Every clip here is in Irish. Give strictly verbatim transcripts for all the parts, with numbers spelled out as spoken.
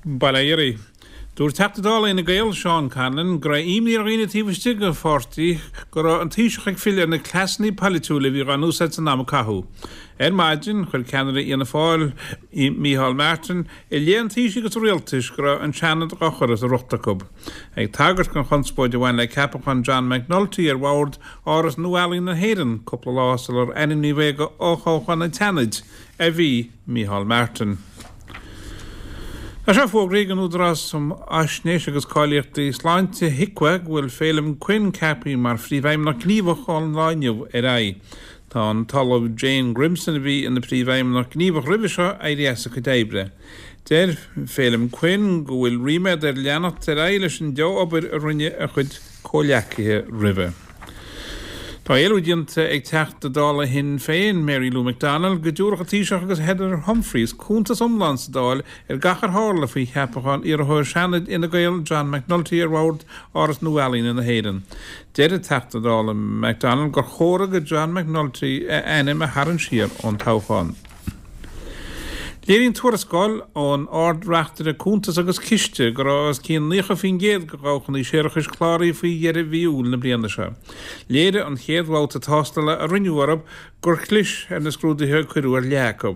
Bail ó Dhia oraibh. Dúirt Teachta Dála Fhine Gael Seán Conlon go raibh imní ar dhaoine taobh istigh den pháirtí go raibh an Taoiseach ag filleadh ar na cleasanna polaitiúla a bhí á n-úsáid san am a caitheadh. Ar maidin, chuir ceannaire Fhianna Fáil, Micheál Martin, i leith an Taoisigh agus an Rialtais go raibh an Seanad á chur as a riocht acu. Ag tagairt don chonspóid a bhain le ceapachán John McNulty ar bhord Áras Nua-Ealaíon na hÉireann cúpla lá sular ainmníodh é go fhothoghchán an tSeanaid a bhí Micheál Martin. Tá sé fógraithe ag an Údarás um Fhaisnéis agus Cáilíochtaí Sláinte, HIQA, go bhfuil Féilim Quinn ceaptha mar Phríomhfheidhmeannach Gníomhach ón lá inniu ar aghaidh. Tá an tOllamh Jane Grimson, a bhí ina Príomhfheidhmeannach Gníomhach roimhe seo, éirithe as a cuid oibre. Deir Féilim Quinn go bhfuil ríméad air leanacht ar aghaidh leis an dea-obair a rinne a chuid comhghleacaithe roimhe. Tá éileamh déanta ag Teachta Dála Shinn Féin, Mary Lou McDonald, go dtabharfadh an Taoiseach agus Heather Humphreys cuntas iomlán sa Dáil ar gach ar tharla faoi cheapachán iarrthóir Seanaid Fhine Gael John McNulty ar bhord Áras Nua-Ealaíne na hÉireann. Deir an Teachta Dála McDonald gur chóir do John McNulty a ainm a tharraingt siar ón toghchán. Léiríonn tuarascáil ón Ard-Reachtaire Cuntas agus Ciste go raibh os cionn naocha faoin gcéad de dhabhchanna séarachais cláraithe faoi dheireadh mhí Iúil na bliana seo. Léirigh an chéad bhabhta tástála a rinneadh orthu gur chlis ar na scrúduithe a cuireadh ar leath acu.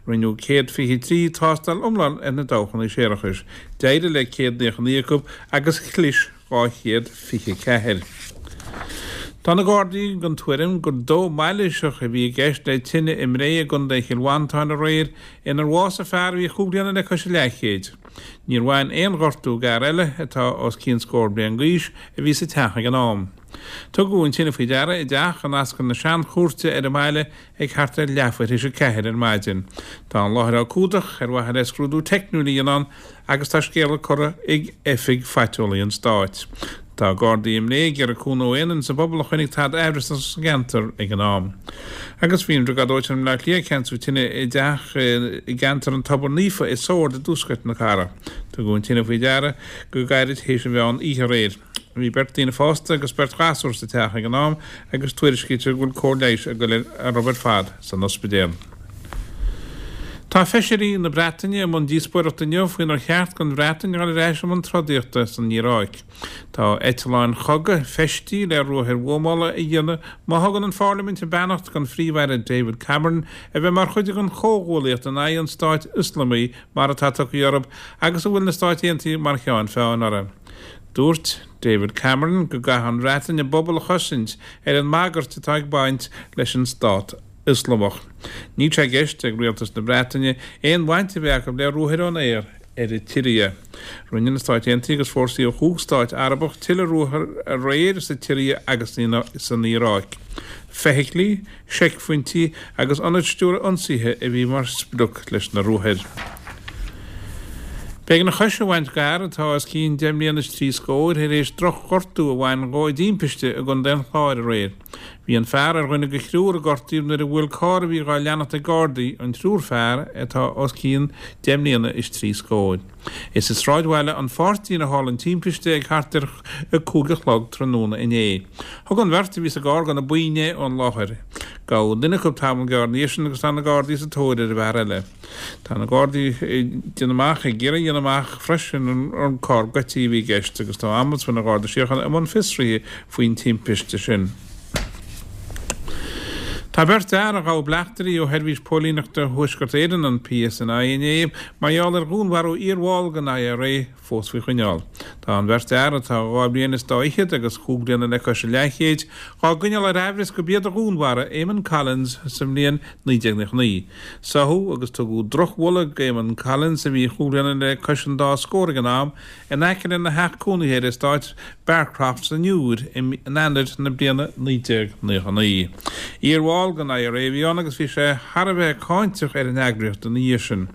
Rinneadh céad fiche trí tástáil iomlán ar na dabhchanna séarachais. D'éirigh le céad naocha naoi acu agus chlis dhá chéad fiche ceathair. Tá na Gardaí den tuairim gur dó mailíseach a bhí i gceist le tine i mBré i gContae Chill Mhantáin aréir inar bhásaigh fear a bhí chúig bliana le cois a leathchéid. Níor bhain aon ghortú d'fhear eile, atá os cionn scór bliain d'aois, a bhí sa teach ag an am. Tugadh an tine faoi deara i dteach in ascaill na Seanchúirte ar an mbaile ag thart ar leathuair théis a ceathair ar maidin. Tá an láthair á cumhdach ar mhaithe le scrúdú teicniúil a dhéanamh ann agus tá scéala curtha ag Oifig Phaiteolaí an Stáit. Tá Gardaí i mBré ag iarraidh cúnamh ó aon duine sa bpobal a chonaic tada aimhreasach sa gceantar ag an am. Agus bhí an Briogáid Dóiteáin i mBleá Cliath ag ceansú tine i dteach i gceantar an Tobar Naofa i Sord i dtuaisceart na cathrach. Tugadh an tine faoi deara go gairid théis an mheán oíche aréir. Bhí beirt daoine fásta agus beirt ghasúr sa teach ag an am agus tuairiscítear go bhfuil cóir leighis ag dul orthu ar fad san ospidéal. Tá feisirí na Breataine i mbun díospóireachta inniu faoinar cheart don Bhreatain dul ar ais i mbun trodaíochta san Iaráic. Tá eitleáin chogaidh feistithe le ruathair bhuamála a dhéanamh má thugann an Pharlaimint a beannacht don Phríomh-Aire David Cameron a bheith mar chuid den chomhghuaillíocht in aghaidh an Stáit Ioslamaigh mar atá tugtha orthu agus a bhfuil na Stáit Aontaithe mar cheann feadhain orthu. Dúirt David Cameron go gcaithfidh an Bhreatain a bpobal a chosaint ar an mbagairt atá ag baint leis an Stát Ioslamach. Níl sé i gceist ag rialtas na Breataine aon bhaint a bheith acu le ruathair ón aer ar an tSiria. Rinne na Stáit Aontaithe agus fórsaí ó chúig stát Arabach tuilleadh ruathar aréir sa tSiria agus san Iaráic. Feithiclí, seicphointí agus ionaid stiúrtha ionsaithe a bhí mar sprioc leis na ruathair. B'éigean a chois a bhaint d'fhear atá os cionn deich mbliana is trí scóir tar éis drochghortú a bhain dhó i dtimpiste i gContae an Chláir aréir. Bhí an fear ar dhuine de thriúr a gortaíodh nuair a bhuail carr a bhí dhá leanacht ag Gardaí an triúr fear atá os cionn deich mbliana is trí scóir. Is i sráidbhaile an Pháirtín a tharla an timpiste ag thart ar a cúig a chlog tráthnóna inné. Thug an bheirt a bhí sa gcarr go na boinn é ón láthair. Gabhadh duine acu tamall gearr ina dhiaidh sin agus tá na Gardaí sa tóir ar an bhfear eile. Tá na Gardaí ag déanamh amach, ag iarraidh a dhéanamh amach freisin an carr goidte a bhí i gceist agus tá Ombudsman an Gharda Síochána i mbun fiosraithe faoin timpiste sin. Tá beirt fhear a ghabh bleachtairí ó Sheirbhís Póilíneachta Thuaisceart Éireann, an PSNI, inné mar gheall ar dhúnmharú iarbhall den IRA fós faoi choinneáil. Tá an bheirt fhear, atá dhá bhliain is dá fhichead agus chúig bliana le cois a leathchéid, dhá gcoinneáil ar aimhreas gurb iad a dhúnmharaigh Eamon Collins sa mbliain naoi déag naocha naoi. Sáthadh agus tugadh drochbhuille d'Eamon Collins, a bhí chúig bliana le cois an dá scór ag an am, in aice lena theach cónaithe ar eastát Bearcroft san Iúr in Eanáir na bliana naoi déag naocha naoi. Iarbhall den IRA a bhí ann agus bhí sé thar a bheith cáinteach ar an eagraíocht ina dhiaidh sin.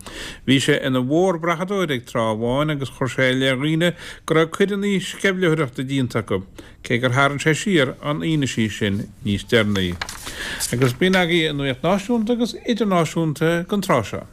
Bhí sé ina mhórbrathadóir ag tráth amháin agus chuir sé i leith dhaoine go raibh coireanna sceimhlitheoireachta déanta acu, cé gur tharraing sé siar an fhianaise sin níos deireanaí. Agus b'in agaibh an nuacht náisiúnta agus idirnáisiúnta don tráth seo.